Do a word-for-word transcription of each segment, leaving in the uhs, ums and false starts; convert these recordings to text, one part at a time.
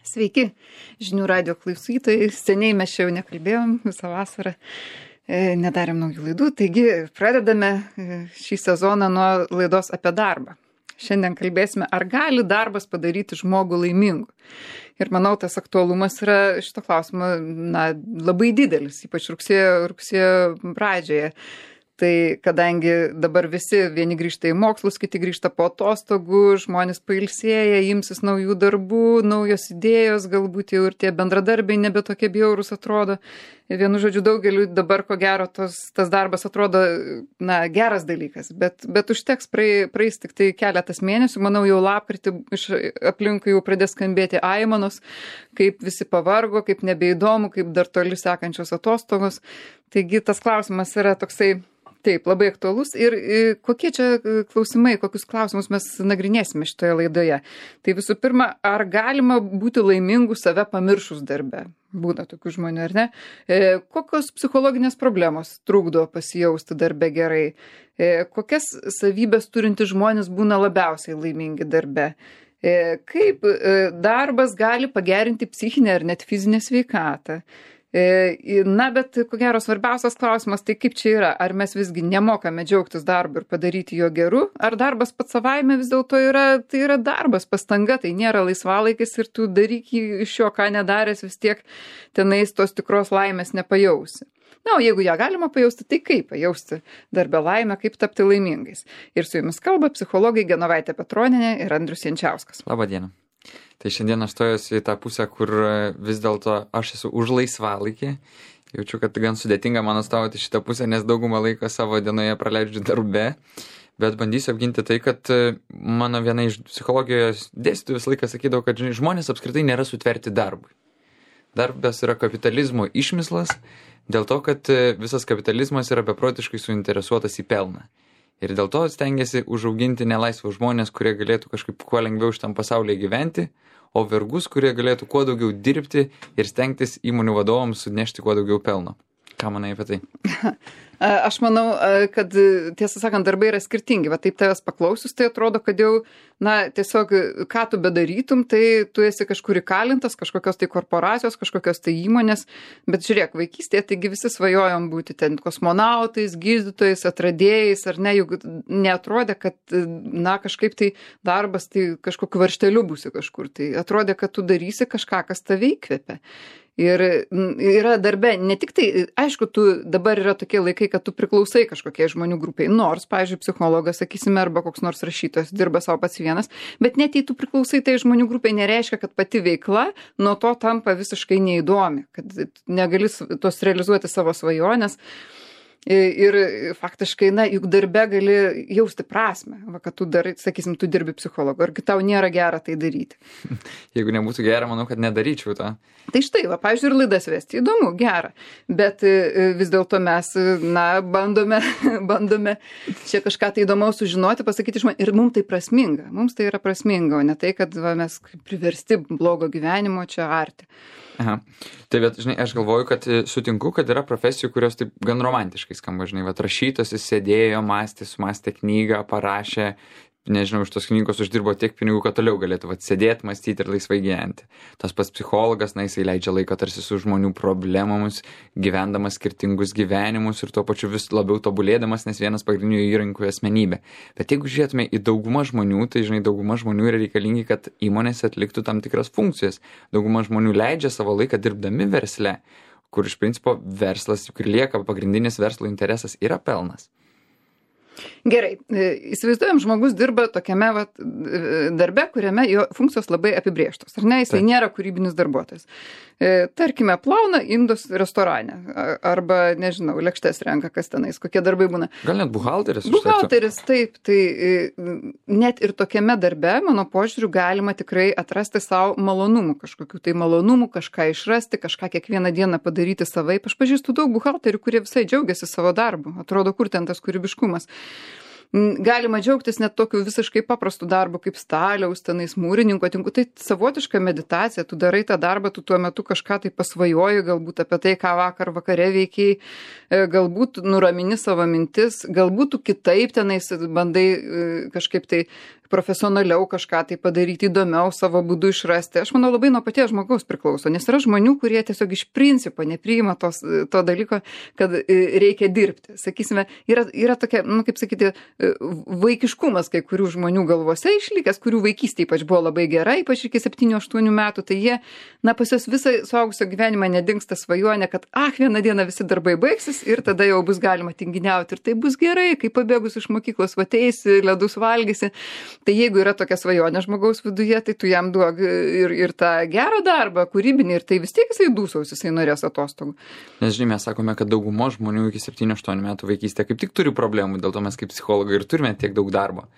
Sveiki, žinių radio klausytojai. Seniai mes čia jau nekalbėjom visą vasarą, nedarėm naujų laidų, taigi pradedame šį sezoną nuo laidos apie darbą. Šiandien kalbėsime, ar gali darbas padaryti žmogų laimingu. Ir manau, tas aktualumas yra šito klausimo na, labai didelis, ypač rugsėjo, rugsėjo pradžioje. Tai kadangi dabar visi vieni grįžta į mokslus, kiti grįžta po atostogų, žmonės pailsėja, imsis naujų darbų, naujos idėjos, galbūt jau ir tie bendradarbiai nebe tokie bjaurūs atrodo. Vienu žodžiu, daugeliu dabar ko gero tos, tas darbas atrodo na, geras dalykas, bet, bet užteks praeis, praeis tik tai keletas mėnesių, manau jau lapkritį iš aplinkui jau pradės skambėti aimanos, kaip visi pavargo, kaip nebeįdomu, kaip dar toli sekančios atostogos. Taigi tas klausimas yra toksai taip, labai aktualus ir kokie čia klausimai, kokius klausimus mes nagrinėsime šitoje laidoje. Tai visų pirma, ar galima būti laimingu save pamiršus darbe? Būna tokių žmonių, ar ne? E, kokios psichologinės problemos trukdo pasijausti darbe gerai? E, kokias savybės turinti žmonės būna labiausiai laimingi darbe? E, kaip e, darbas gali pagerinti psichinę ar net fizinę sveikatą? Na, bet ko gero svarbiausias klausimas, tai kaip čia yra, ar mes visgi nemokame džiaugtis darbu ir padaryti jo geru, ar darbas pats savaime vis dėlto yra, tai yra darbas, pastanga, tai nėra laisvalaikis ir tu daryk iš jo, ką nedaręs, vis tiek tenais tos tikros laimės nepajausi. Na, o jeigu ją galima pajausti, tai kaip pajausti darbę laimę, kaip tapti laimingais. Ir su jumis kalba psichologai Genovaitė Petronienė ir Andrius Jančiauskas. Labą dieną. Tai šiandien aš stojuosi į tą pusę, kur vis dėlto aš esu už laisvalaikį. Jaučiu, kad gan sudėtinga man atstovauti šitą pusę, nes daugumą laiko savo dienoje praleidžiu darbe. Bet bandysiu apginti tai, kad mano viena iš psichologijos dėstytojų visą laiką sakydavo, kad žmonės apskritai nėra sutverti darbui. Darbas yra kapitalizmo išmislas, dėl to, kad visas kapitalizmas yra beprotiškai suinteresuotas į pelną. Ir dėl to stengiasi užauginti nelaisvus žmonės, kurie galėtų kažkaip kuo lengviau šitam pasaulyje gyventi, o vergus, kurie galėtų kuo daugiau dirbti ir stengtis įmonių vadovams sunešti kuo daugiau pelno. Ką manai apie tai? Aš manau, kad tiesą sakant, darbai yra skirtingi. Va taip tavęs paklausius, tai atrodo, kad jau, na, tiesiog, ką tu bedarytum, tai tu esi kažkur įkalintas, kažkokios tai korporacijos, kažkokios tai įmonės. Bet žiūrėk, vaikystėje, taigi visi svajojom būti ten kosmonautais, gydytojais, atradėjais, ar ne, juk neatrodė, kad, na, kažkaip tai darbas, tai kažkokiu varšteliu būsi kažkur. Tai atrodė, kad tu darysi kažką, kas tave įkvepia. Ir yra darbe, ne tik tai, aišku, tu dabar yra tokie laikai, kad tu priklausai kažkokiai žmonių grupiai, nors, pavyzdžiui, psichologas, sakysime, arba koks nors rašytojas dirba savo pats vienas, bet net jei tu priklausai tai žmonių grupiai, nereiškia, kad pati veikla nuo to tampa visiškai neįdomi, kad negali tos realizuoti savo svajonės. Ir faktiškai, na, juk darbe gali jausti prasme, va, kad tu darai, sakysim, tu dirbi psichologu, argi tau nėra gera tai daryti. Jeigu nebūtų gera, manau, kad nedaryčiau to. Tai štai, va, pavyzdžiui, ir laidas vesti, įdomu, gera, bet vis dėlto mes, na, bandome, bandome čia kažką tai įdomaus sužinoti, pasakyti žmonėms, ir mums tai prasminga, mums tai yra prasminga, o ne tai, kad va, mes priversti blogo gyvenimo čia arti. Aha. Tai bet, žinai, aš galvoju, kad sutinku, kad yra profesijų, kurios taip gan romantiškai skamba, žinai, va, rašytojas sėdėjo, mąstė, sumastė knygą, parašė, nežinau, iš tos knygos uždirbo tiek pinigų, kad toliau galėtų atsėdėti, mąstyti ir laisvai gyventi. Tas pats psichologas, na, jisai leidžia laiką tarsi su žmonių problemomis, gyvendamas skirtingus gyvenimus ir tuo pačiu vis labiau tobulėdamas, nes vienas pagrindinių įrankių asmenybė. Bet jeigu žiūrėtume į daugumą žmonių, tai, žinai, dauguma žmonių yra reikalingi, kad įmonės atliktų tam tikras funkcijas. Dauguma žmonių leidžia savo laiką dirbdami versle, kur iš principo verslas, kur lieka pagrindinis verslo interesas, yra pelnas. Gerai, įsivaizduojam, žmogus dirba tokiame vat, darbe, kuriame jo funkcijos labai apibrėžtos, ar ne, jisai nėra kūrybinis darbuotojas. E, tarkime, plauna indus restorane, arba, nežinau, lėkštes renka, kas tenais, kokie darbai būna. Gal net buhalteris? Buhalteris, taip, tai net ir tokiame darbe, mano požiūriu, galima tikrai atrasti savo malonumų, kažkokių tai malonumų, kažką išrasti, kažką kiekvieną dieną padaryti savaip. Aš pažįstu daug buhalterių, kurie visai džiaugiasi savo darbu, atrodo, kur ten tas kūrybiškumas. Galima džiaugtis net tokiu visiškai paprastu darbu kaip staliaus, tenais mūrininko tinku. Tai savotiška meditacija, tu darai tą darbą, tu tuo metu kažką tai pasvajoji, galbūt apie tai, ką vakar vakare veikiai, galbūt nuramini savo mintis, galbūt tu kitaip tenais bandai kažkaip tai profesionaliau kažką tai padaryti, įdomiau savo būdu išrasti. Aš manau, labai nuo paties žmogaus priklauso, nes yra žmonių, kurie tiesiog iš principo nepriima tos, to dalyko, kad reikia dirbti. Sakysime, yra, yra tokia, nu, kaip sakyti, vaikiškumas kai kurių žmonių galvose išlikęs, kurių vaikystė ypač buvo labai gera, ypač iki septynių aštuonių metų, tai jie, na, pas juos visą suaugusio gyvenimą nedingsta svajonė, kad, ah, vieną dieną visi darbai baigsis ir tada jau bus galima tinginiauti ir tai bus gerai, kai pabėgus iš mokyklos vateisi, ledus valgysi. Tai jeigu yra tokia svajonė žmogaus viduje, tai tu jam duok ir, ir tą gerą darbą, kūrybinį, ir tai vis tiek jisai dūsaus, jisai norės atostogų. Nes žinai, mes sakome, kad daugumo žmonių iki septynių aštuonių metų vaikystė kaip tik turi problemų, dėl to mes kaip psichologai ir turime tiek daug darbo.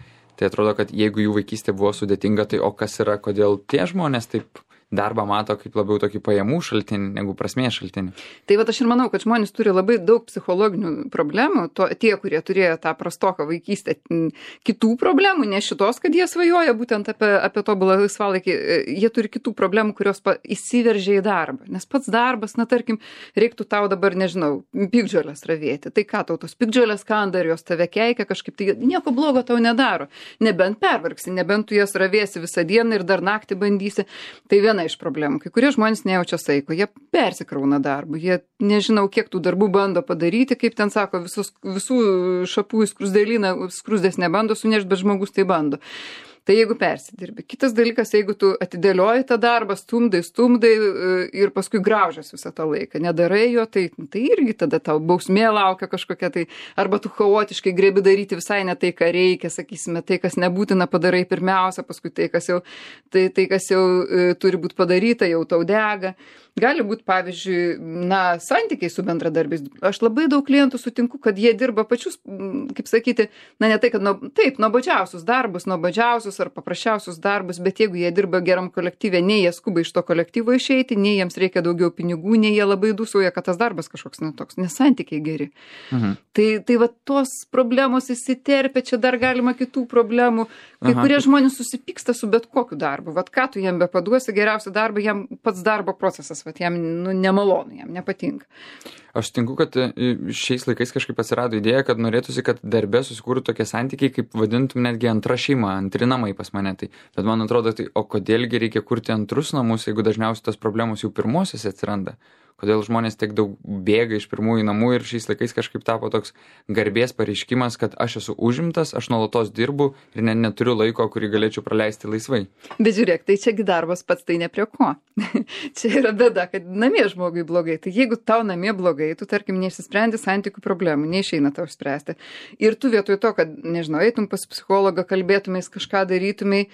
Tai atrodo, kad jeigu jų vaikystė buvo sudėtinga, tai o kas yra, kodėl tie žmonės taip darbą mato kaip labiau tokį pajamų šaltinį negu prasmės šaltinį. Tai va aš ir manau, kad žmonės turi labai daug psichologinių problemų, to, tie, kurie turėjo tą prastoką vaikystę, kitų problemų, ne šitos, kad jie svajoja būtent apie, apie tobulą laisvalaikį, jie turi kitų problemų, kurios pa, įsiveržia į darbą. Nes pats darbas, na tarkim, reiktų tau dabar, nežinau, piktžolės ravėti. Tai ką tau tos piktžolės kanda ir jos tave keikia kažkaip, tai nieko blogo tau nedaro. Nebent pervargsi, nebent tu jas ravėsi visą dieną ir dar naktį bandysi. Tai viena iš problemų. Kai kurie žmonės nejaučia saiko, jie persikrauna darbų, jie nežinau, kiek tų darbų bando padaryti, kaip ten sako, visus, visų šapų į skrusdėlyną, skrusdės nebando sunešti, bet žmogus tai bando. Tai jeigu persidirbi. Kitas dalykas, jeigu tu atidėlioji tą darbą, stumdai, stumdai ir paskui graužias visą tą laiką, nedarai jo, tai, tai irgi tada tau bausmė laukia kažkokia, tai arba tu chaotiškai grebi daryti visai ne tai, ką reikia, sakysime, tai, kas nebūtina padarai pirmiausia, paskui tai, kas jau, tai, tai, kas jau e, turi būti padaryta, jau tau dega. Gali būti, pavyzdžiui, na, santykiai su bendradarbiais. Aš labai daug klientų sutinku, kad jie dirba pačius, kaip sakyti, na, ne tai, kad, nu, taip, nuobodžiausius darbus, nuobodžiausius ar paprasčiausius darbus, bet jeigu jie dirba geram kolektyve, nei jie skuba iš to kolektyvo išeiti, nei jiems reikia daugiau pinigų, nei jie labai dūsauja, kad tas darbas kažkoks netoks, nes santykiai geri. Mhm. Tai, tai va tos problemos įsiterpia, čia dar galima kitų problemų. Kai Aha. kurie žmonės susipyksta su bet kokiu darbu. Vat ką tu jam bepaduosi, geriausią darbą, jam pats darbo procesas, vat jam nu, nemalonu, jam nepatinka. Aš tinku, kad šiais laikais kažkaip atsirado idėja, kad norėtųsi, kad darbe susikūrų tokie santykiai, kaip vadintum netgi antra šeima, antri namai pas mane. Tai, bet man atrodo, tai o kodėlgi reikia kurti antrus namus, jeigu dažniausiai tos problemos jau pirmosios atsiranda? Kodėl žmonės tiek daug bėga iš pirmųjų namų ir šiais laikais kažkaip tapo toks garbės pareiškimas, kad aš esu užimtas, aš nuolatos dirbu ir ne, neturiu laiko, kurį galėčiau praleisti laisvai. Bet žiūrėk, tai čiagi darbas pats tai ne prie ko. Čia yra bėda, kad namie žmogui blogai. Tai jeigu tau namie blogai, tu tarkim neišsisprendi santykių problemų, neišeina tau spręsti. Ir tu vietoj to, kad, nežinau, eitum pas psichologą, kalbėtumės, kažką darytumai,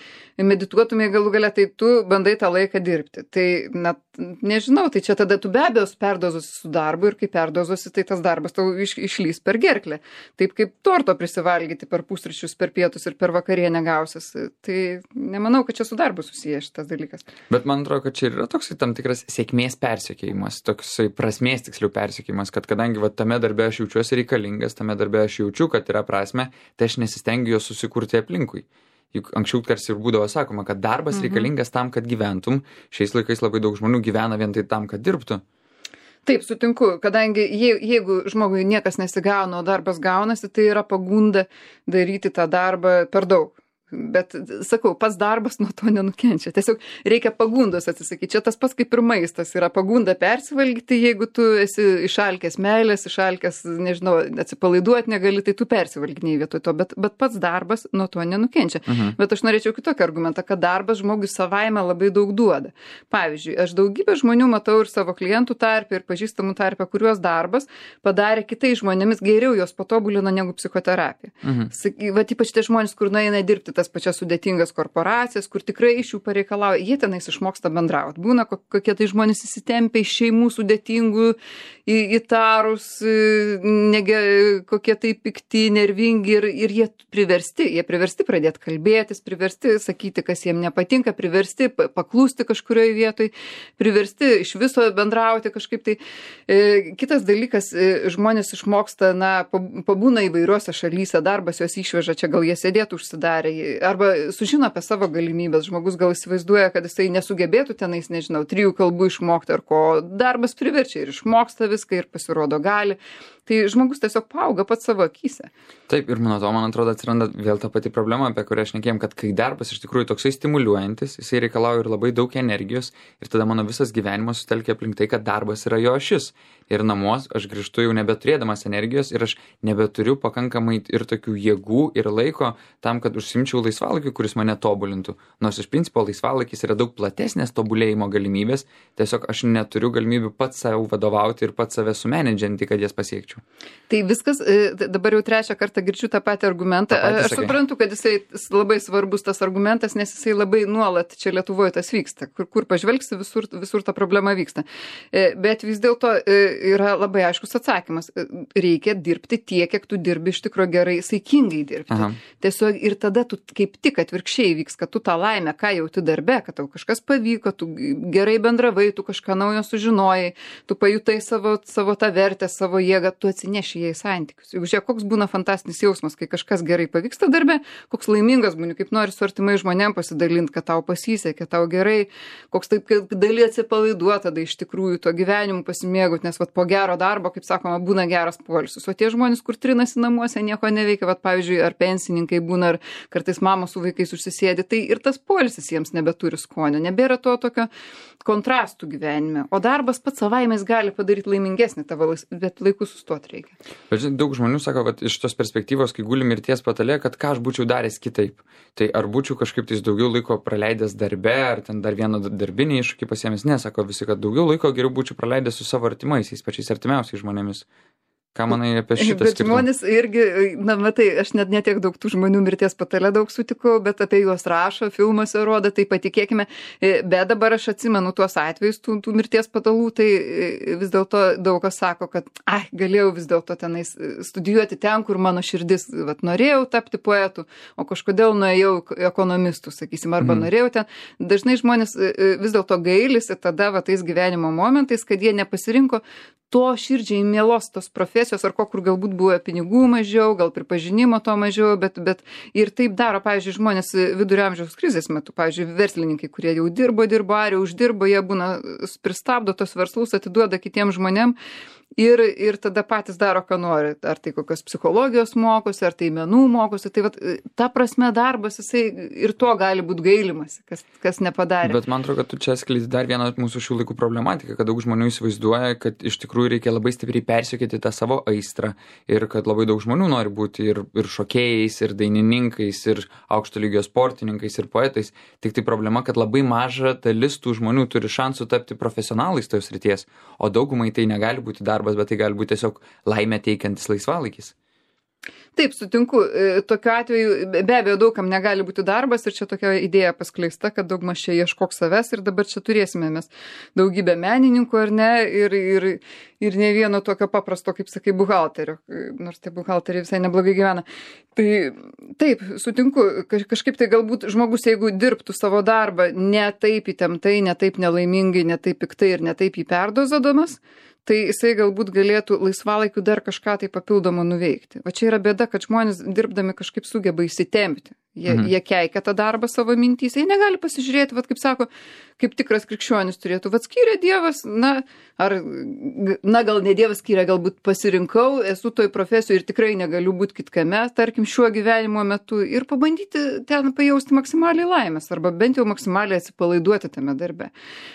medituotumai galų gale, tai tu bandai tą laiką dirbti. Tai, na, nežinau, tai čia tada tu be abejo perdozuosi su darbu ir kai perdozuosi, tai tas darbas tau iš, išlys per gerklę. Taip kaip torto prisivalgyti per pusryčius, per pietus ir per vakarienę gausis. Tai nemanau, kad čia su darbu susiję šitas dalykas. Bet man atrodo, kad čia yra toks tam tikras sėkmės persekėjimas, toksai prasmės tiksliau persekėjimas, kad kadangi va, tame darbe aš jaučiuosi reikalingas, tame darbe aš jaučiu, kad yra prasme, tai aš nesistengiu jo susikurti aplinkui. Juk anksčiau tarsi ir būdavo sakoma, kad darbas mhm. reikalingas tam, kad gyventum. Šiais laikais labai daug žmonių gyvena vien tai tam, kad dirbtų. Taip, sutinku, kadangi je, jeigu žmogui niekas nesigauna, o darbas gaunasi, tai yra pagunda daryti tą darbą per daug. Bet, sakau, pats darbas nuo to nenukenčia. Tiesiog reikia pagundos atsisakyti. Čia tas pats kaip ir maistas. Yra pagunda persivalgyti, jeigu tu esi išalkęs meilės, išalkęs, nežinau, atsipalaiduoti negali, tai tu persivalginiai vietoj to. Bet, bet pats darbas nuo to nenukenčia. Mhm. Bet aš norėčiau kitokį argumentą, kad darbas žmogui savaime labai daug duoda. Pavyzdžiui, aš daugybę žmonių matau ir savo klientų tarpe, ir pažįstamų tarpe, kuriuos darbas padarė kitais žmonėmis geriau, jos patobulino negu psichoterapija. Mhm. Vat ypač tie žmonės, kur nueina dirbti tas pačias sudėtingas korporacijas, kur tikrai iš jų pareikalauja, jie tenais išmoksta bendrauti. Būna kokie tai žmonės įsitempia iš šeimų sudėtingų, į, įtarus, nege, kokie tai pikti, nervingi ir, ir jie priversti, jie priversti pradėti kalbėtis, priversti sakyti, kas jiem nepatinka, priversti paklūsti kažkurioje vietoj, priversti iš viso bendrauti kažkaip tai. E, kitas dalykas, e, žmonės išmoksta, na, pabūna įvairiuose šalyse, darbas juos išveža, čia gal jie sėdėtų užsidarę, arba sužino apie savo galimybės. Žmogus gal įsivaizduoja, kad jisai nesugebėtų tenais, nežinau, trijų kalbų išmokti ar ko. Darbas priverčia ir išmoksta viską ir pasirodo gali. Tai žmogus tiesiog paauga pats savo akyse. Taip, ir nuo to, man atrodo, atsiranda vėl ta pati problema, apie kurią šnekėjom, kad kai darbas iš tikrųjų toksai stimuliuojantis, jisai reikalauja ir labai daug energijos, ir tada mano visas gyvenimas sutelkia aplink tai, kad darbas yra jo ašis. Ir namuos aš grįžtu jau nebeturėdamas energijos ir aš nebeturiu pakankamai ir tokių jėgų ir laiko tam, kad užsimčiau laisvalaikiu, kuris mane tobulintų. Nors iš principo laisvalaikis yra daug platesnės tobulėjimo galimybės, tiesiog aš neturiu galimybių pats save vadovauti ir pats save sumenedžinti, kad jas pasiekčiau. Tai viskas, dabar jau trečią kartą girdžiu tą patį argumentą. Ta patį aš sakai. suprantu, kad jisai labai svarbus tas argumentas, nes jisai labai nuolat čia Lietuvoje tas vyksta. Kur, kur pažvelgsi, visur, visur ta problema vyksta. Bet vis dėlto yra labai aiškus atsakymas. Reikia dirbti tiek, kiek tu dirbi iš tikro gerai, saikingai dirbti. Aha. Tiesiog ir tada tu kaip tik atvirkščiai vyks, kad tu tą laimę, ką jauti darbe, kad tau kažkas pavyko, tu gerai bendravai, tu kažką naujo sužinojai, tu pajutai savo, savo tą vertę, savo jėgą, tu atsineši ją į santykius. Juk žiūrėk, koks būna fantastinis jausmas, kai kažkas gerai pavyksta darbe, koks laimingas būni, kaip nori su artimai žmonėm pasidalinti, kad tau pasisekė, tau gerai, koks taip, kad gali atsipalaiduoti tada iš tikrųjų to gyvenimu pasimėgauti, nes vat, po gero darbo, kaip sakoma, būna geras poilsis. O tie žmonės, kur trinasi namuose, nieko neveikia, vat, pavyzdžiui, ar pensininkai būna, ar kartais mamos su vaikais užsisėdi, tai ir tas poilsis jiems nebeturi skonio, nebėra to tokio kontrastų gyvenime. O darbas pats savaime gali padaryti laimingesnį tavo, bet laiku sustoti reikia. Bet žinai, daug žmonių sako, kad iš tos perspektyvos, kai guli mirties patalė, kad ką aš būčiau daręs kitaip. Tai ar būčiau kažkaip tais daugiau laiko praleidęs darbe, ar ten dar vieną darbinį iššūkį pasiėmęs, nesako visi, kad daugiau laiko geriau būčiau praleidęs su savo artimaisiais, pačiais artimiausiais žmonėmis. Ką manai apie šitą Bet skirtumą? žmonės irgi, na matai, aš net netiek daug tų žmonių mirties patale daug sutikau, bet apie juos rašo, filmuose rodo, tai patikėkime. Bet dabar aš atsimenu tuos atvejus tų, tų mirties patalų, tai vis dėlto daug kas sako, kad ai, galėjau vis dėlto tenais studijuoti ten, kur mano širdis, vat, norėjau tapti poetu, o kažkodėl nuėjau ekonomistų, sakysim, arba mm. norėjau ten. Dažnai žmonės vis dėlto gailisi tada va, tais gyvenimo momentais, kad jie nepasirinko to širdžiai mielos tos profesijos, ar ko, kur galbūt buvo pinigų mažiau, gal pripažinimo to mažiau, bet, bet ir taip daro, pavyzdžiui, žmonės vidurio amžiaus krizės metu, pavyzdžiui, verslininkai, kurie jau dirbo, dirbo, ar jau uždirbo, jie būna pristabdo tos verslus, atiduoda kitiem žmonėm ir, ir tada patys daro, ką nori. Ar tai kokios psichologijos mokosi, ar tai menų mokosi. Tai vat, ta prasme darbas, jisai ir to gali būti gailimas, kas, kas nepadarė. Bet man atrodo, kad tu čia skleidi dar vieną mūsų šių laikų problematiką, kad daug žmonių įsivaizduoja, kad iš tikrųjų reikia labai stipriai persiekėti tą savo aistrą ir kad labai daug žmonių nori būti ir, ir šokėjais, ir dainininkais, ir aukšto lygio sportininkais, ir poetais. Tik tai problema, kad labai maža dalis tų žmonių turi šansų tapti profesionalais tojos srities, o daugumai tai negali būti darbas, bet tai gali būti tiesiog laimę teikiantis laisvalaikis. Taip, sutinku, tokiu atveju be abejo daugam negali būti darbas ir čia tokia idėja paskleista, kad daugmaž čia ieškok savęs ir dabar čia turėsime mes daugybę menininkų ar ne ir, ir, ir ne vieno tokio paprasto, kaip sakai, buhalterio, nors tie buhalteriai visai neblogai gyvena. Tai taip, sutinku, kažkaip tai galbūt žmogus, jeigu dirbtų savo darbą ne taip įtemptai, ne taip nelaimingai, ne taip piktai ir ne taip jį perdozadomas, tai jisai galbūt galėtų laisvalaikiu dar kažką tai papildomą nuveikti. Va čia yra bėda, kad žmonės dirbdami kažkaip sugeba įsitempti. Jie, mhm. jie keikia tą darbą savo mintys, jie negali pasižiūrėti, vat, kaip sako, kaip tikras krikščionis turėtų, vat skyrė Dievas, na, ar, na gal ne Dievas skyrė, galbūt pasirinkau, esu toj profesijoje ir tikrai negaliu būti kitkame, tarkim, šiuo gyvenimo metu ir pabandyti ten pajausti maksimaliai laimės, arba bent jau maksimaliai atsipalaiduoti tame darbe.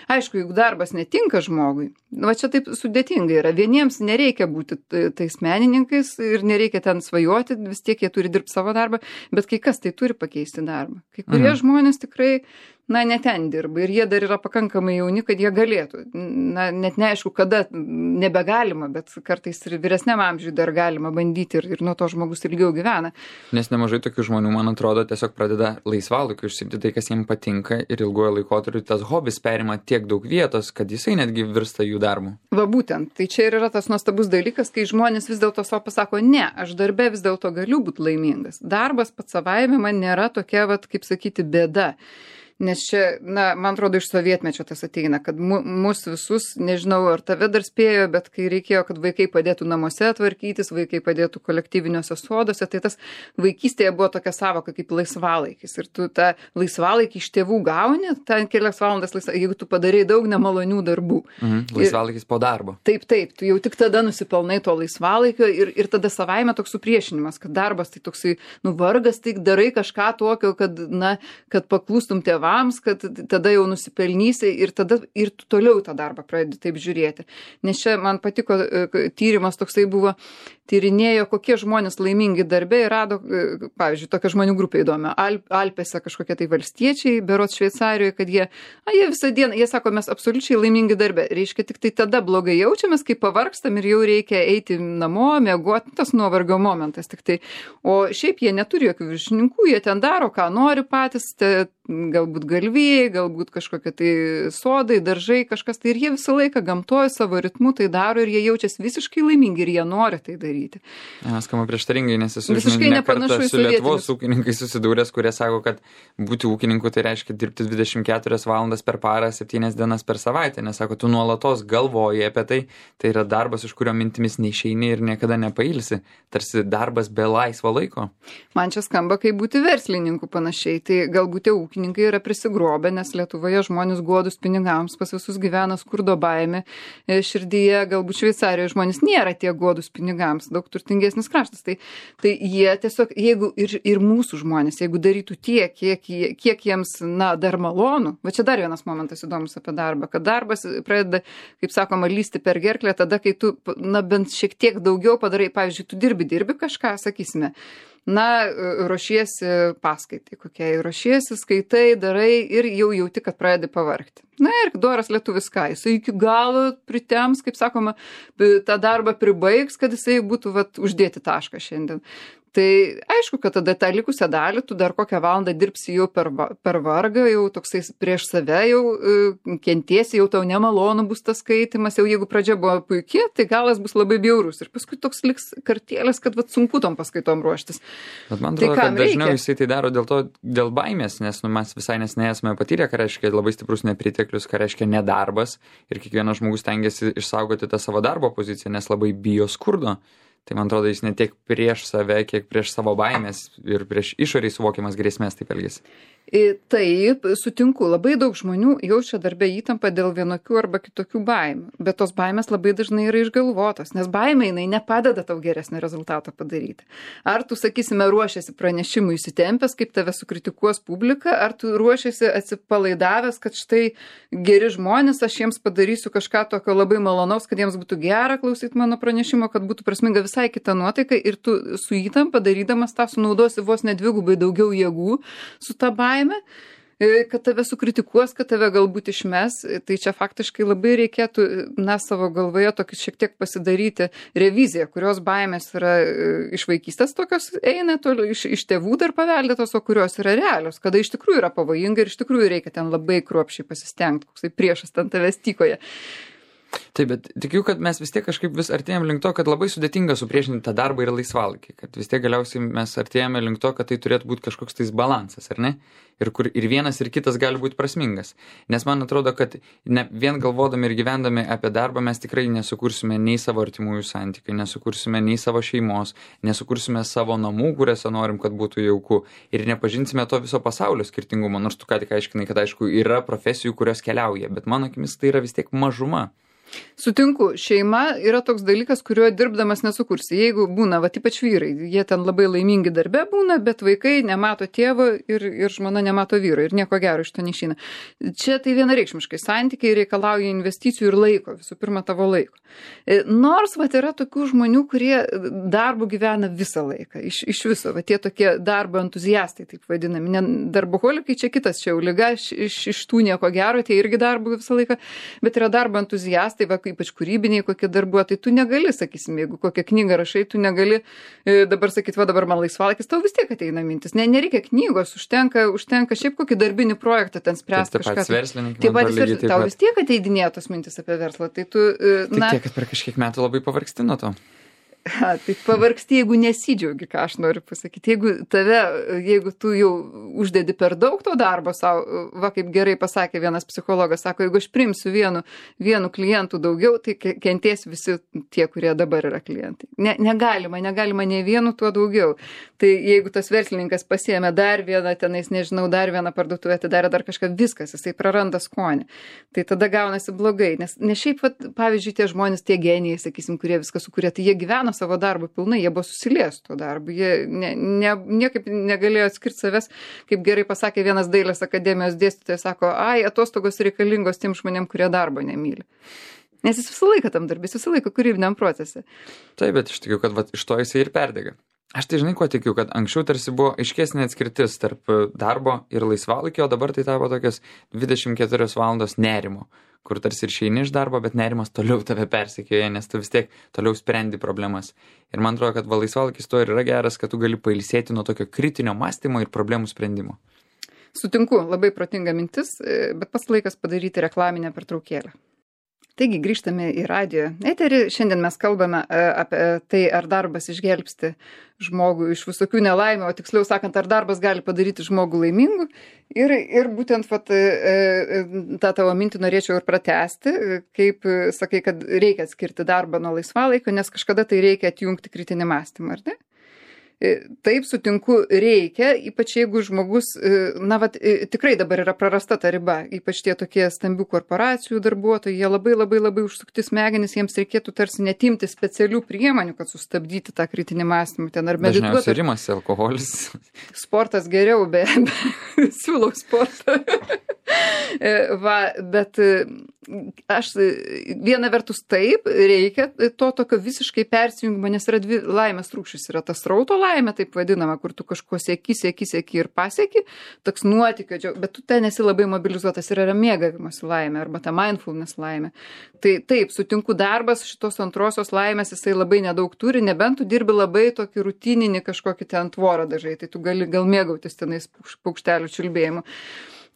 Aišku, jeigu darbas netinka žmogui, va čia taip sudėtingai yra, vieniems nereikia būti tais menininkais ir nereikia ten svajoti, vis tiek jie turi dirbti savo darbą, bet kai kas tai turi pakeisti darbą. Kai kurie mhm. žmonės tikrai, na, ne ten dirba ir jie dar yra pakankamai jauni, kad jie galėtų. Na, net neaišku, kada nebegalima, bet kartais ir vyresniam amžiui dar galima bandyti ir, ir nuo to žmogus ilgiau gyvena. Nes nemažai tokių žmonių, man atrodo, tiesiog pradeda laisvalaikiu užsiimti tai, kas jiems patinka ir ilgojo laikotarpiu tas hobis perima tiek daug vietos, kad jisai netgi virsta jų darbu. Va būtent, tai čia ir yra tas nuostabus dalykas, kai žmonės vis dėlto savo pasako, ne, aš darbe vis dėlto galiu būti laimingas. Darbas pats savaime man nėra tokia, vat, kaip sakyti, bėda. Nes čia, na, man atrodo, iš sovietmečio tas ateina, kad mu, mus visus, nežinau, ar tave dar spėjo, bet kai reikėjo, kad vaikai padėtų namuose tvarkytis, vaikai padėtų kolektyviniuose soduose, tai tas vaikystėje buvo tokia savoka kaip laisvalaikis. Ir tu tą laisvalaikį iš tėvų gauni, ten kelias valandas laisvalaikis, jeigu tu padarai daug nemalonių darbų. Mhm, laisvalaikis po darbo. Taip, taip, tu jau tik tada nusipelnai to laisvalaikio ir, ir tada savaime toks supriešinimas, kad darbas tai toksai, nu, vargas, tai darai kažką tokio, kad, na, kad paklūstum tėvams, kad tada jau nusipelnysi ir tada ir tu toliau tą darbą pradedi taip žiūrėti. Nes čia man patiko tyrimas toksai buvo, tyrinėjo, kokie žmonės laimingi darbe ir rado, pavyzdžiui, tokia žmonių grupė įdomi. Alp, Alpėse kažkokie tai valstiečiai, berods Šveicarijoje, kad jie, a, jie visą dieną, jie sako, mes absoliučiai laimingi darbe. Reiškia, tik tai tada blogai jaučiamės, kai pavargstam ir jau reikia eiti namo, miegoti, tas nuovargio momentas tik tai. O šiaip jie neturi jokių viršininkų, jie ten daro, ką nori patys, te, galbūt galvijai, galbūt kažkokie tai sodai, daržai, kažkas tai ir jie visą laiką gamtoje savo ritmu tai daro ir jie jaučiasi visiškai laimingi ir jie nori tai daryti. Ja, skamba prieštaringai, nes esu ne kartą su Lietuvos ūkininkais susidūręs, kurie sako, kad būti ūkininku tai reiškia dirbti dvidešimt keturias valandas per parą, septynias dienas per savaitę, nes sako, tu nuolatos galvoji apie tai, tai yra darbas, iš kurio mintimis neišeini ir niekada nepailsi, tarsi darbas be laisvo laiko. Man čia skamba kaip būti verslininku panašiai, tai galbūt tie ūkininkai yra prisigrobę, nes Lietuvoje žmonės godus pinigams, pas visus gyvena skurdo baimė širdyje, galbūt Šveicarijoje žmonės nėra tie godus pinigams, daug turtingesnis kraštas. Tai, tai jie tiesiog, jeigu ir, ir mūsų žmonės, jeigu darytų tiek, kiek, kiek jiems, na, dar malonu, va čia dar vienas momentas įdomus apie darbą, kad darbas pradeda, kaip sakoma, lysti per gerklę tada, kai tu, na, bent šiek tiek daugiau padarai, pavyzdžiui, tu dirbi, dirbi kažką, sakysime, na, ruošiesi paskaitai kokiai, ruošiesi, skaitai, darai ir jau jauti, kad pradedi pavargti. Na ir doras lietuvis ką, jisai iki galo pritems, kaip sakoma, tą darbą pribaigs, kad jisai būtų vat, uždėti tašką šiandien. Tai aišku, kad tada tą likusią dalį tu dar kokią valandą dirbsi jau per, per vargą, jau toksai prieš save jau uh, kentiesi, jau tau nemalonu bus tas skaitimas, jau jeigu pradžia buvo puikiai, tai galas bus labai bjaurus ir paskui toks liks kartėlės, kad vat, sunku tom paskaitom ruoštis. Bet man atrodo, tai kad dažniau jisai tai daro dėl to, dėl baimės, nes nu, mes visai neseniai esame patyrę, ką reiškia labai stiprus nepriteklius, ką reiškia nedarbas ir kiekvienas žmogus stengiasi išsaugoti tą savo darbo poziciją, nes labai bijo skurdo. Tai man atrodo, jis ne tiek prieš save, kiek prieš savo baimės ir prieš išoriai suvokiamas grėsmės taip elgesi. Taip, sutinku, labai daug žmonių jaučia darbę įtampą dėl vienokių arba kitokių baimių, bet tos baimės labai dažnai yra išgalvotos, nes baimė jinai nepadeda tau geresnio rezultato padaryti. Ar tu, sakysime, ruošiasi pranešimui įsitempęs, kaip tave sukritikuos publika, ar tu ruošiasi atsipalaidavęs, kad štai geri žmonės, aš jiems padarysiu kažką tokio labai malonaus, kad jiems būtų gera klausyti mano pranešimo, kad būtų prasminga visai kita nuotaika ir tu su įtampa darydamas tą sunaudosi vos nedvigubai daugiau jėgų su ta baime, kad tave sukritikuos, kad tave galbūt išmes, tai čia faktiškai labai reikėtų, na, savo galvoje tokį šiek tiek pasidaryti reviziją, kurios baimės yra iš vaikystės tokios eina, toli, iš, iš tėvų dar paveldėtos, o kurios yra realios, kada iš tikrųjų yra pavojinga ir iš tikrųjų reikia ten labai kruopščiai pasistengti, koksai priešas ten tavęs tykoje. Taip, bet tikiu, kad mes vis tiek kažkaip vis artėjame link to, kad labai sudėtinga supriešinti tą darbą ir laisvalaikį, kad vis tiek galiausiai mes artėjame link to, kad tai turėtų būti kažkoks tais balansas, ar ne? Ir kur ir vienas ir kitas gali būti prasmingas. Nes man atrodo, kad ne, vien galvodami ir gyvendami apie darbą mes tikrai nesukursime nei savo artimųjų santykių, nesukursime nei savo šeimos, nesukursime savo namų, kuriuose norim, kad būtų jauku ir nepažinsime to viso pasaulio skirtingumo, nors tu ką tik aiškinai, kad aišku yra profesijų, kurios keliauja, bet mano akimis tai yra vis tiek mažuma. Sutinku, šeima yra toks dalykas, kuriuo dirbdamas nesukursi. Jeigu būna, va, ypač vyrai, jie ten labai laimingi darbe būna, bet vaikai nemato tėvo ir, ir žmona nemato vyro ir nieko gero iš to neišeina. Čia tai vienareikšmiškai santykiai reikalauja investicijų ir laiko, visų pirma tavo laiko. Nors, va, yra tokių žmonių, kurie darbu gyvena visą laiką, iš, iš viso, va, tie tokie darbo entuziastai, taip vadinami. Ne, darboholikai čia kitas, čia jau liga, iš, iš, iš tų nieko gero, tie irgi darbu visą laiką, bet yra darbo entuziastai. Tai va, ypač kūrybiniai kokie darbuotojai, tai tu negali, sakysim, jeigu kokią knygą rašai, tu negali e, dabar sakyti, va dabar man laisvalaikis, tau vis tiek ateina mintis. Ne, nereikia knygos, užtenka, užtenka šiaip kokį darbinį projektą ten spręsti kažką. Taip pat verslininkai. Taip pat verslininkai, tau vis tiek ateidinėja tos mintis apie verslą. Tai tu, e, na, tik tiek, kad per kažkiek metų labai pavargsti nuo to. Ha, tai pavargsti, jeigu nesidžiaugi, ką aš noriu pasakyti. Jeigu tave, jeigu tu jau uždedi per daug to darbo savo, va kaip gerai pasakė vienas psichologas, sako, jeigu aš primsiu vienu, vienu klientų daugiau, tai kentės visi tie, kurie dabar yra klientai. Ne, negalima, negalima ne vienu tuo daugiau. Tai jeigu tas verslininkas pasiėmė dar vieną, tenais, nežinau, dar vieną parduotuvę, atidarė dar kažką, viskas, jisai praranda skonį. Tai tada gaunasi blogai, nes ne šiaip, vat, pavyzdžiui, tie žmonės, tie genijai, sakysim, kurie viską sukūrė, tai jie gyveno savo darbą pilnai, jie buvo susilies tuo darbu, jie ne, ne, niekaip negalėjo atskirti savęs, kaip gerai pasakė vienas dailės akademijos dėstytojas, sako, ai, atostogos reikalingos tiem žmonėm, kurie darbo nemyli. Nes jis visą laiką tam darbės, visą laiką kūrybiniam procese. Taip, bet iš tikiu, kad vat, iš to jisai ir perdega. Aš tai žinai, ko tikiu, kad anksčiau tarsi buvo aiškesnė atskirtis tarp darbo ir laisvalaikio, o dabar tai tapo tokios dvidešimt keturios valandos nerimo, kur tarsi ir šeini iš darbo, bet nerimas toliau tave persekioja, nes tu vis tiek toliau sprendi problemas. Ir man atrodo, kad va, laisvalaikis to ir yra geras, kad tu gali pailsėti nuo tokio kritinio mąstymo ir problemų sprendimo. Sutinku, labai protinga mintis, bet pats laikas padaryti reklaminę pertraukėlę. Taigi grįžtame į radijo eterį. Šiandien mes kalbame apie tai, ar darbas išgelbsti žmogų iš visokių nelaimių, o tiksliau sakant, ar darbas gali padaryti žmogų laimingu. Ir, ir būtent vat, tą tavo mintį norėčiau ir pratęsti, kaip sakai, kad reikia atskirti darbą nuo laisvalaikio, nes kažkada tai reikia atjungti kritinį mąstymą, ar ne? Taip, sutinku, reikia, ypač jeigu žmogus, na, vat, tikrai dabar yra prarasta ta riba, ypač tie tokie stambių korporacijų darbuotojai, jie labai labai labai užsukti smegenis, jiems reikėtų tarsi netimti specialių priemonių, kad sustabdyti tą kritinį mąstymą. Ten ar medituoti. Dažniausiai rimas, alkoholis. Sportas geriau, be, be siūlau sportą. Va, bet aš viena vertus taip, reikia to tokio visiškai persijungimo, nes yra dvi laimės rūšys. Yra tas srauto laimė, taip vadinama, kur tu kažko sieki, sieki, sieki ir pasieki, toks nuotykio, bet tu ten esi labai mobilizuotas ir yra mėgavimas laimė, arba ta mindfulness laimė. Tai taip, sutinku, darbas šitos antrosios laimės jisai labai nedaug turi, nebent tu dirbi labai tokį rutininį kažkokį ten tvorą dažai, tai tu gali gal mėgautis tenais paukštelių čiulbėjimu.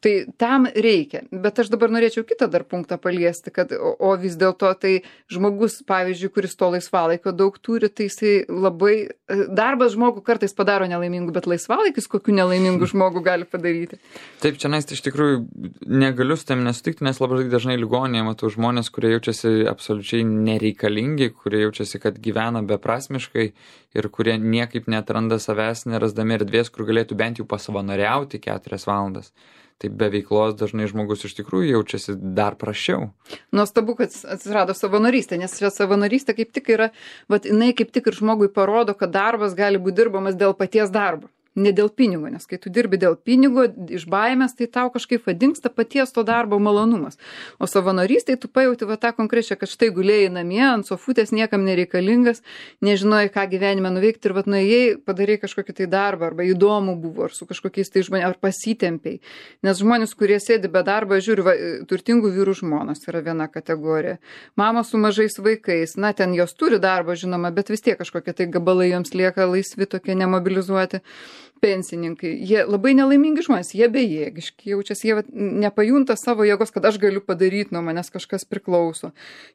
Tai tam reikia, bet aš dabar norėčiau kitą dar punktą paliesti, kad, o, o vis dėlto tai žmogus, pavyzdžiui, kuris to laisvalaikio daug turi, tai jisai labai, darbas žmogų kartais padaro nelaimingų, bet laisvalaikis kokių nelaimingų žmogų gali padaryti. Taip, čia nais iš tikrųjų negaliu su tam nesutikti, nes labai dažnai ligoninėje matau žmonės, kurie jaučiasi absoliučiai nereikalingi, kurie jaučiasi, kad gyvena beprasmiškai ir kurie niekaip neatranda savęs, nerasdami erdvės, kur galėtų bent jau pasavanoriauti keturias valandas. Tai be veiklos dažnai žmogus iš tikrųjų jaučiasi dar prasčiau. Nuostabu, kad atsirado savanorystė, nes čia savanorystė kaip tik yra, vat jinai kaip tik ir žmogui parodo, kad darbas gali būti dirbamas dėl paties darbo. Ne dėl pinigo, nes kai tu dirbi dėl pinigo, iš baimės, tai tau kažkaip vadingsta paties to darbo malonumas. O savanorystėj tu pajauti va tą konkrečią, kad štai gulėjai namie, ant sofutės niekam nereikalingas, nežinojai, ką gyvenime nuveikti ir vat nuėjai, padarai kažkokį tai darbą, arba įdomu buvo, ar su kažkokiais tai žmonėmis, ar pasitempiai. Nes žmonės, kurie sėdi be darbo, žiūri, va, turtingų vyrų žmonos yra viena kategorija. Mamos su mažais vaikais, na ten jos turi darbą, žinoma, bet vis tiek kažkokie tai gabalai joms lieka laisvi, tokie nemobilizuoti. Pensininkai, jie labai nelaimingi žmonės, jie bejėgiški, jaučiasi, jie nepajunta savo jėgos, kad aš galiu padaryti, nuo manęs kažkas priklauso.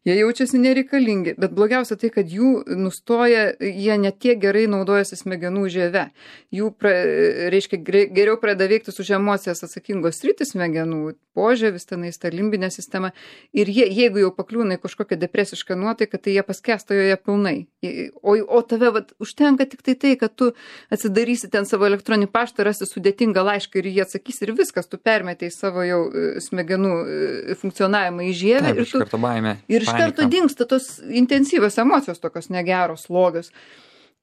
Jie jaučiasi nereikalingi, bet blogiausia tai, kad jų nustoja, jie netiek gerai naudojasi smegenų žieve. Jų, pra, reiškia, geriau pradeda veikti už emocijas atsakingos sritys smegenų, požiūris, tenais ta limbinė sistema. Ir jie, jeigu jau pakliūna į kažkokią depresišką nuotaiką, tai jie paskęsta joje pilnai. O, o tave vat, užtenka tik tai tai, kad tu atsidarysi ten savo elektroninį paštą, rasi sudėtingą laišką ir jie atsakys ir viskas, tu permetei savo jau smegenų funkcionavimą į žievę. Taip, ir iš tu, karto baimė, ir iš karto dingsta tos intensyvios emocijos, tokios negeros, slogios.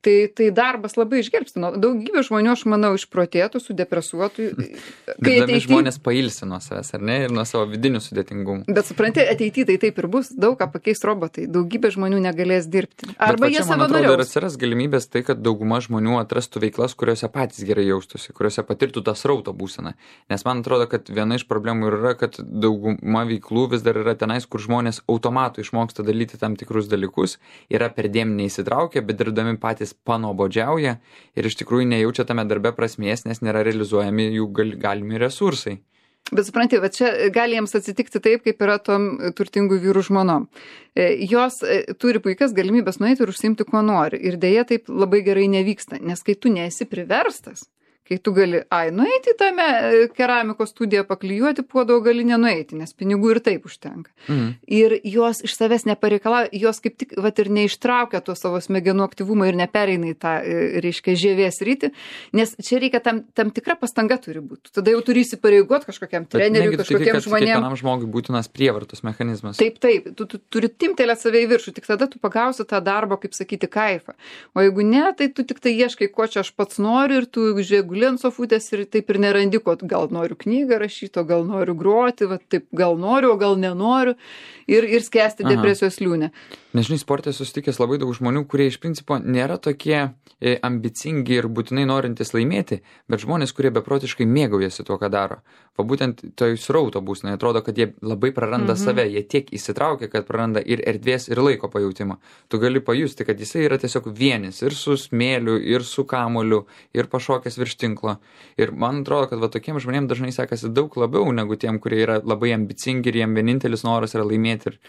Tai, tai darbas labai išgelbstino. Daugybė žmonių, aš manau, išprotėtų, sudepresuotų. Dirbdami ateity... žmonės pailsi nuo savęs, ar ne? Ir nuo savo vidinių sudėtingumų. Bet supranti, ateityje tai taip ir bus. Daug ką pakeis robotai. Daugybė žmonių negalės dirbti. Arba jie savanoriaus. Man atrodo, ir atsiras galimybės tai, kad dauguma žmonių atrastų veiklas, kuriuose patys gerai jaustųsi, kuriuose patirtų tą srauto būseną. Nes man atrodo, kad viena iš problemų yra, kad dauguma veiklų vis dar yra tenais, kur žmonės automatu išmoksta daryti tam tikrus dalykus, yra perdėm neįsitraukę, bet dirbdami patys panuobodžiauja ir iš tikrųjų nejaučia tame darbe prasmės, nes nėra realizuojami jų gal, galimi resursai. Bet supranti, va čia gali jiems atsitikti taip, kaip yra tom turtingų vyrų žmonom. Jos turi puikias galimybės nueiti ir užsiimti, kuo nori. Ir dėja taip labai gerai nevyksta, nes kai tu nesi priverstas, kai tu gali, ai, nueiti į tame keramikos studiją, paklijuoti puodo, gali nenueiti, nes pinigų ir taip užtenka. Mhm. Ir jos iš savęs nepareikalauja, jos kaip tik, vat, ir neištraukia to savo smegenų aktyvumą ir nepereina į tą, reiškia, žievės rytį, nes čia reikia tam, tam tikra pastanga turi būti. Tada jau turi įsipareigoti kažkokiam treneriui, kažkokiem žmonėm. Kiekvienam žmogui būtinas prievartos mechanizmas. Taip, taip, tu, tu turi timtelėti save į viršų, tik tada tu pagausi tą darbą, kaip sakyti, kaifą. O jeigu ne, tai tu tik tai ieškai, ko čia aš pats noriu ir tu žiūrėk, ant sofutės ir taip ir nerandi, ko gal noriu knygą rašyti, o gal noriu groti, va, taip gal noriu, o gal nenoriu ir, ir skęsti Aha. depresijos liūnę. Nežinai, sporte susitikęs labai daug žmonių, kurie iš principo nėra tokie e, ambicingi ir būtinai norintys laimėti, bet žmonės, kurie beprotiškai mėgaujasi tuo, ką daro. Va būtent toj srauto būsnai atrodo, kad jie labai praranda mhm. save, jie tiek įsitraukia, kad praranda ir erdvės, ir laiko pajautimą. Tu gali pajusti, kad jisai yra tiesiog vienis ir su smėliu, ir su kamuoliu, ir pašokęs virš tinklo. Ir man atrodo, kad va tokiem žmonėm dažnai sekasi daug labiau negu tiem, kurie yra labai ambicingi ir jiem vienintelis noras yra laimėti. Ir...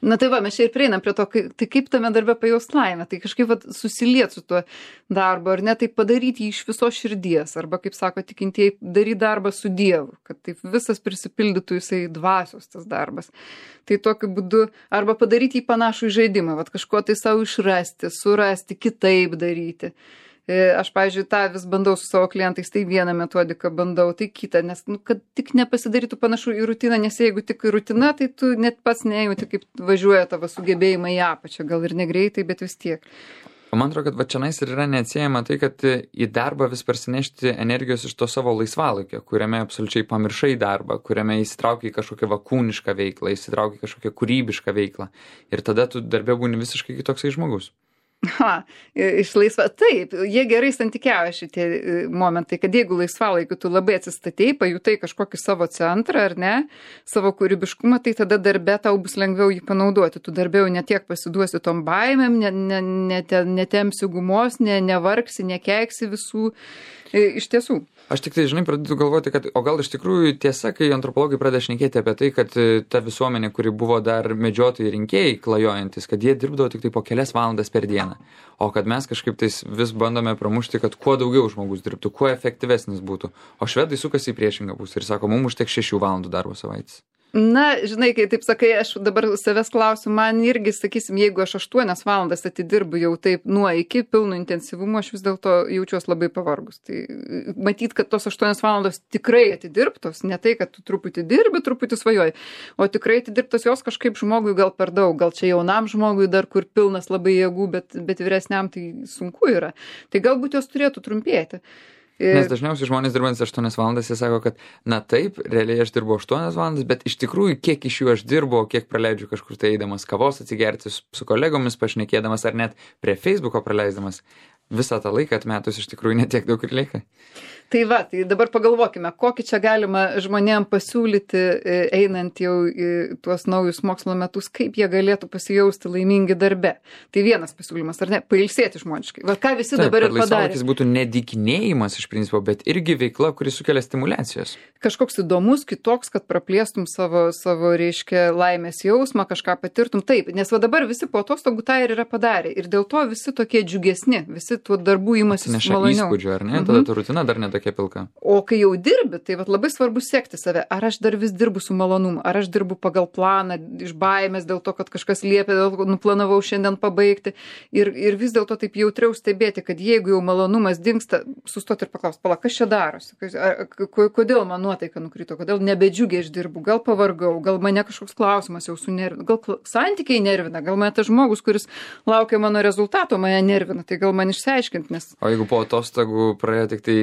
Na tai va, mes čia ir prieinam prie to, kai, tai kaip tame darbe pajaust laimę, tai kažkaip va, susiliet su tuo darbu, ar ne, tai padaryti jį iš viso širdies, arba, kaip sako tikintieji, daryti darbą su Dievu, kad taip visas prisipildytų jisai dvasios tas darbas. Tai tokiu būdu, arba padaryti jį panašų į žaidimą, va, kažko tai savo išrasti, surasti, kitaip daryti. Aš, pavyzdžiui, tą vis bandau su savo klientais, tai vieną metodiką bandau, tai kitą, nes, nu, kad tik nepasidarytų panašu į rutiną, nes jeigu tik į rutiną, tai tu net pats nejauti, kaip važiuoja tavo sugebėjimai į apačią, gal ir negreitai, bet vis tiek. O man atrodo, kad va čionais ir yra neatsiejama tai, kad į darbą vis parsinešti energijos iš to savo laisvalaikio, kuriame absoliučiai pamiršai darbą, kuriame įsitraukia į kažkokią vakūnišką veiklą, įsitraukia į kažkokią kūrybišką veiklą. Ir tada tu darbe būni visiškai kitoksai žmogus. Ha, iš laisva, taip, jie gerai santykiauja šitie momentai, kad jeigu laisvalaikiu tu labai atsistatei, pajutai kažkokį savo centrą, ar ne, savo kūrybiškumą, tai tada darbe tau bus lengviau jį panaudoti. Tu darbe jau netiek pasiduosi tom baimėm, netemsi ne, ne, ne gumos, ne, nevargsi, nekeiksi visų. Iš tiesų. Aš tik tai, žinai, pradedu galvoti, kad o gal iš tikrųjų tiesa, kai antropologai pradeda šnekėti apie tai, kad ta visuomenė, kuri buvo dar medžiotojai rinkėjai klajojantis, kad jie dirbdavo tik tai po kelias valandas per dieną. O kad mes kažkaip tais vis bandome pramušti, kad kuo daugiau žmogus dirbtų, kuo efektyvesnis būtų. O švedai sukasi į priešingą pusę ir sako, mums užteks šešių valandų darbo savaitės. Na, žinai, kai taip sakai, aš dabar savęs klausiu, man irgi, sakysim, jeigu aš aštuonias valandas atidirbu jau taip nuo iki pilno intensyvumo, aš vis dėlto jaučiuos labai pavargus. Tai matyt, kad tos aštuonias valandos tikrai atidirbtos, ne tai, kad tu truputį dirbi, truputį svajoji, o tikrai atidirbtos jos kažkaip žmogui gal per daug, gal čia jaunam žmogui dar kur pilnas labai jėgų, bet, bet vyresniam tai sunku yra. Tai galbūt jos turėtų trumpėti. Nes dažniausiai žmonės dirbantys aštuonias valandas, jie sako, kad na taip, realiai aš dirbu aštuonias valandas, bet iš tikrųjų kiek iš jų aš dirbu, kiek praleidžiu kažkur tai eidamas kavos atsigerti su kolegomis, pašnekėdamas ar net prie Facebooko praleisdamas, visą tą laiką atmetus iš tikrųjų netiek daug ir lieka. Tai va, tai dabar pagalvokime, kokį čia galima žmonėm pasiūlyti, einant jau į tuos naujus mokslo metus, kaip jie galėtų pasijausti laimingi darbe. Tai vienas pasiūlymas, ar ne, pailsėti žmoniškai. Va ką visi Taip, dabar ir padarė. Laisvalaikis būtų nedykinėjimas iš principo, bet irgi veikla, kuri sukelia stimulacijos. Kažkoks įdomus, kitoks, kad praplėstum savo, savo reiškia, laimės jausmą, kažką patirtum. Taip, nes va dabar visi po atostogų tą ir yra padarę. Ir dėl to visi tokie džiugesni, visi tuo darbų imasi maloniau. Įspūdžių, ar ne? Mhm. Tada ta rutina dar netokia pilka. O kai jau dirbi, tai vat labai svarbu sekti save. Ar aš dar vis dirbu su malonumu, ar aš dirbu pagal planą, iš baimės dėl to, kad kažkas liepia, dėl to, nuplanavau šiandien pabaigti. Ir, ir vis dėlto taip jautriau stebėti, kad jeigu jau malonumas dingsta, sustoti ir paklausti, pala, kas čia darosi? Kodėl man nuotaika nukrito? Kodėl nebedžiugiai aš dirbu? Gal pavargau? Gal mane kažkoks klausimas jau sunervina? Gal santykiai nervina? Gal mane tas žmogus, kuris laukia mano rezultato, mane nervina? Tai gal man išsiaiškinti, nes... O jeigu po atostogų praėjo tik tai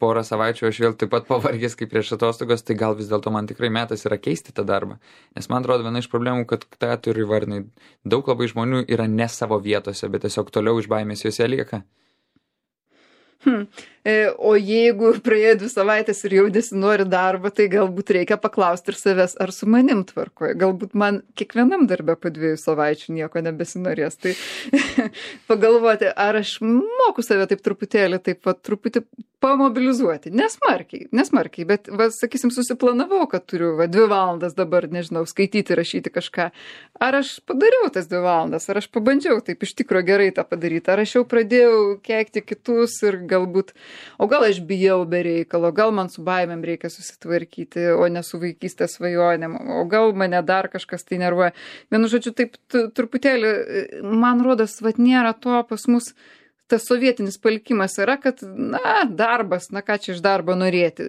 porą savaičių, aš vėl taip pat pavargęs kaip prieš atostogas, tai gal vis dėlto man tikrai metas yra keisti tą darbą. Nes man atrodo viena iš problemų, kad tą turi įvardinai. Daug labai žmonių yra ne savo vietose, bet tiesiog toliau iš baimės juose lieka. Hmm. O jeigu praėjo dvi savaitės ir jau nesinori darbą, tai galbūt reikia paklausti ir savęs, ar su manim tvarkoje. Galbūt man kiekvienam darbe po dviejų savaičių nieko nebesinorės. Tai pagalvoti, ar aš moku save taip truputėlį, taip pat truputį pamobilizuoti. Nesmarkiai, nesmarkiai, bet, va, sakysim, susiplanavau, kad turiu va, dvi valandas dabar, nežinau, skaityti, rašyti kažką. Ar aš padariau tas dvi valandas, ar aš pabandžiau taip iš tikro gerai tą padaryti, ar aš jau pradėjau keikti kitus ir galbūt, o gal aš bijau be reikalo, gal man su baimėm reikia susitvarkyti, o ne su vaikystės svajonėm, o gal mane dar kažkas tai nervuoja. Vienu žodžiu, taip truputėlį, man rodos, vat nėra to pas mus. Tas sovietinis palikimas yra, kad, na, darbas, na ką čia iš darbo norėti.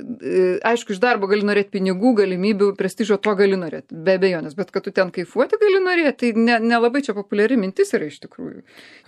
Aišku, iš darbo gali norėti pinigų, galimybių, prestižo, to gali norėti, be abejonės, bet kad tu ten kaifuoti gali norėti, tai nelabai ne čia populiari mintis yra iš tikrųjų.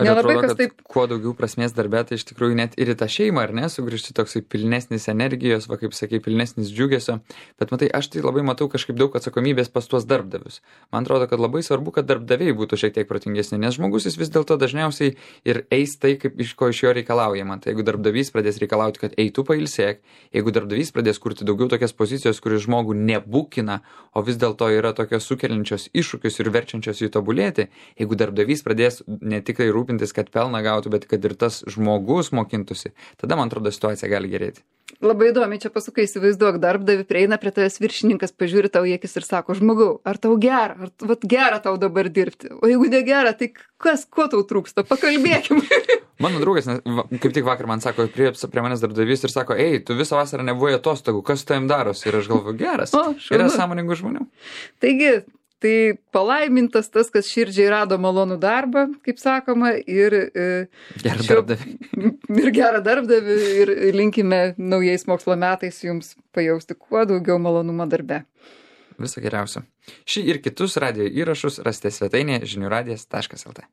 Nelabai, kas taip... Kuo daugiau prasmės darbė, tai iš tikrųjų net ir į tą šeimą, ar ne, sugrįžti toksai pilnesnis energijos, va kaip sakai, pilnesnis džiugesio, bet matai, aš tai labai matau kažkaip daug atsakomybės pas tuos darbdavius. Man atrodo, kad labai svarbu, kad darbdaviai būtų šiek tiek protingesni, nes žmogus jis vis dėlto dažniausiai ir eis tai, kaip iš ko iš jo reikalaujama. Tai jeigu darbdavys pradės reikalauti, kad eitų pailsėk, jeigu darbdavys pradės kurti daugiau tokias pozicijos, kuris žmogų nebūkina, o vis dėlto yra tokios sukeliančios iššūkius ir verčiančios jį tobulėti, jeigu darbdavys pradės ne tik tai rūpintis, kad pelną gautų, bet kad ir tas žmogus mokintųsi, tada, man atrodo, situacija gali gerėti. Labai įdomi, čia pasukai, įsivaizduok, darbdavi prieina prie tavęs viršininkas, pažiūri tau į akis ir sako, žmogau, ar tau gera, ar vat, gera tau dabar dirbti, o jeigu negera, tai kas, ko tau trūksta, pakalbėkim. Mano draugas, kaip tik vakar man sako, prie, prie manęs darbdavys ir sako, ei, tu visą vasarą nebuvai atostogų, kas su tavim darosi? Ir aš galvoju, geras, o, yra sąmoningų žmonių. Taigi, tai palaimintas tas, kas širdžiai rado malonų darbą, kaip sakoma, ir gerą šio, darbdavį. Ir gerą darbdavį, ir linkime naujais mokslo metais jums pajausti kuo daugiau malonumo darbe. Viso geriausio. Šį ir kitus radijo įrašus rasite svetainėje žinių radijas taškas lt.